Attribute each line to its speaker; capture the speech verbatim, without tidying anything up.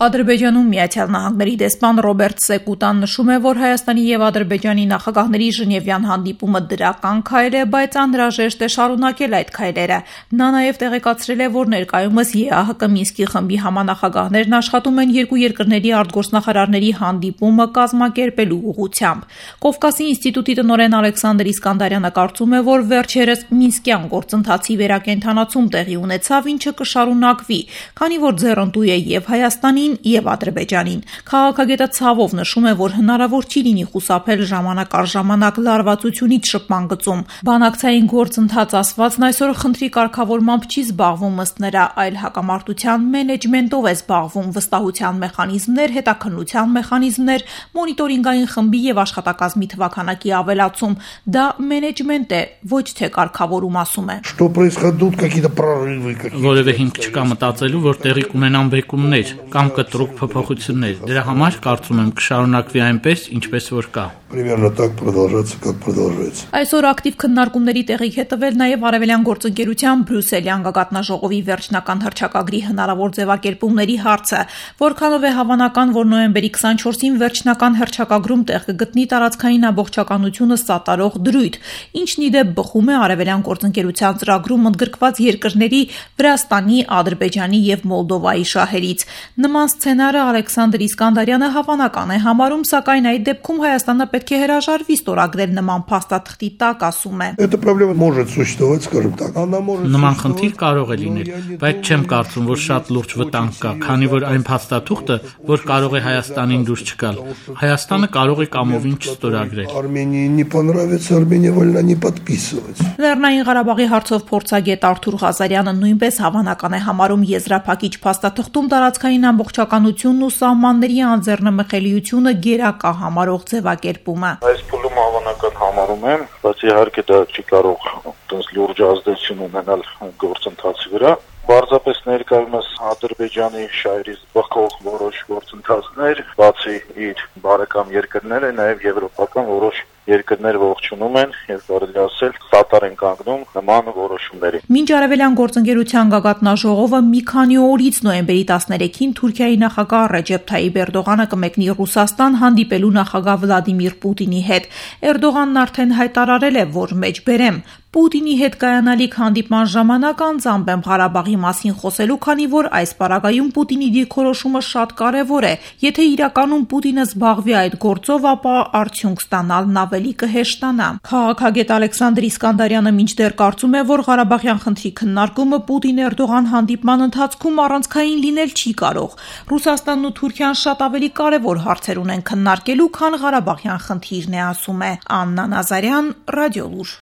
Speaker 1: Ադրբեջանում Միացյալ Նահանգների դեսպան Ռոբերտ Սեկուտան նշում է, որ Հայաստանի եւ Ադրբեջանի նախագահների Ժնևյան հանդիպումը դրական քայլ է, բայց անհրաժեշտ է շարունակել այդ քայլերը։ Նա նաեւ տեղեկացրել է, որ ներկայումս ԵԱՀԿ Մինսկի խմբի համանախագահներն աշխատում են երկու երկրների արտգործնախարարների հանդիպումը կազմակերպելու ուղղությամբ։ Կովկասի ինստիտուտի տնօրեն Ալեքսանդր Իսկանդարյանը կարծում է, որ վերջերս Մինսկյան գործընթացի վերակենդանացում տեղի ունեցավ, ինչը կշարունակվի, քանի որ ձեռնտու է եւ Հայաստանին եւ Ադրբեջանին։ Քաղաքագետը ցավով նշում է, որ հնարավոր չի լինի խուսափել ժամանակ առ ժամանակ լարվածությունից շփման գծում։ Բանակցային գործընթաց ասվածն այսօր խնդրի կարգավորմամբ չի զբաղվում ըստ նրա, այլ հակամարտության մենեջմենտով է զբաղվում, վստահության մեխանիզմներ, հետաքննության մեխանիզմներ, մոնիտորինգային խմբի եւ աշխատակազմի թվաքանակի ավելացում։ Դա մենեջմենտ է, ոչ թե կարգավորում, ասում է։
Speaker 2: Որևէ հիմք չկա մտածելու, որ տեղի կունենան բեկումներ կամ կտրուկ փոփոխություններ։ Դրա համար կարծում եմ կշարունակվի այնպես, ինչպես որ կա։
Speaker 1: Այսօր ակտիվ քննարկումների տեղիք է տվել նաև Արևելյան գործընկերության Բրյուսելյան գագաթնաժողովի վերջնական հռչակագրի հնարավոր ձևակերպումների հարցը, որքանով է հավանական, որ նոյեմբերի քսանչորսին վերջնական հռչակագրում տեղ կգտնի տարածքային ամբողջականությունը սատարող դրույթ, ինչն ի դեպ բխում է Արևելյան գործընկերության ծրագրում ընդգրկված երկրների Վրաստանի, Ադրբեջանի եւ Մոլդովայի շահերից։ Նման սցենարը Ալեքսանդր Իսկանդարյանը հավանական է համարում, սակայն այդ դեպքում Հայաստանը պետք է հրաժարվի ստորագրել նման փաստաթղթի տակ, ասում է։
Speaker 2: Նման խնդիր կարող է լինել, բայց չեմ կարծում, որ շատ լուրջ վտանգ կա, քանի որ այն փաստաթուղթը, որ կարող է Հայաստանին դուրս չգալ, Հայաստանը կարող է կամովին չստորագրել։
Speaker 1: Լեռնային Ղարաբաղի հարցով փորձագետ Արթուր Ղազարյանը նույնպես հավանական է համարում եզրափակիչ փաստաթղթում տարածքային ամբողջականությունն ու սահմանների անձեռնմխելիությունը գերակա համարող ձևակերպումը։
Speaker 3: Այս փուլում հավանական համարում եմ, բայց իհարկե դա չի կարող այդպես լուրջ ազդեցություն ունենալ գործընթացի վրա։ Պարզապես ներկայումս Ադրբեջանի շահերից բխող որոշ գործընթացներ, բացի իր բարեկամ երկրները, նաև եվրոպական որոշ երկրներ ողջունում են եւ կարելի ասել սատար են կանգնում նման որոշումների։
Speaker 1: Մինչ Արևելյան գործընկերության գագաթնաժողովը մի քանի օրից նոյեմբերի տասներեքին Թուրքիայի նախագահ Ռեջեփ Թայիպ Էրդողանը կմեկնի Ռուսաստան հանդիպելու նախագահ Վլադիմիր Պուտինի հետ։ Էրդողանն արդեն հայտարարել է, որ մեջբերեմ Պուտինի հետ կայանալիք հանդիպման ժամանակ անձամբ եմ Ղարաբաղի մասին խոսելու, քանի որ այս պարագայում Պուտինի դիրքորոշումը շատ կարևոր է։ Եթե իրականում Պուտինը զբաղվի այդ գործով, ապա արդյունք ստանալն ավելի կհեշտանա։ Քաղաքագետ Ալեքսանդր Իսկանդարյանը մինչդեռ կարծում է, որ Ղարաբաղյան խնդրի քննարկումը Պուտին-Էրդողան հանդիպման ընթացքում առանցքային լինել չի կարող։ Ռուսաստանն ու Թուրքիան շատ ավելի կարևոր հարցեր ունեն քննարկելու, քան Ղարաբաղյան խնդիրն է, ասում է Աննա Նազարյան, Ռադիոլուր։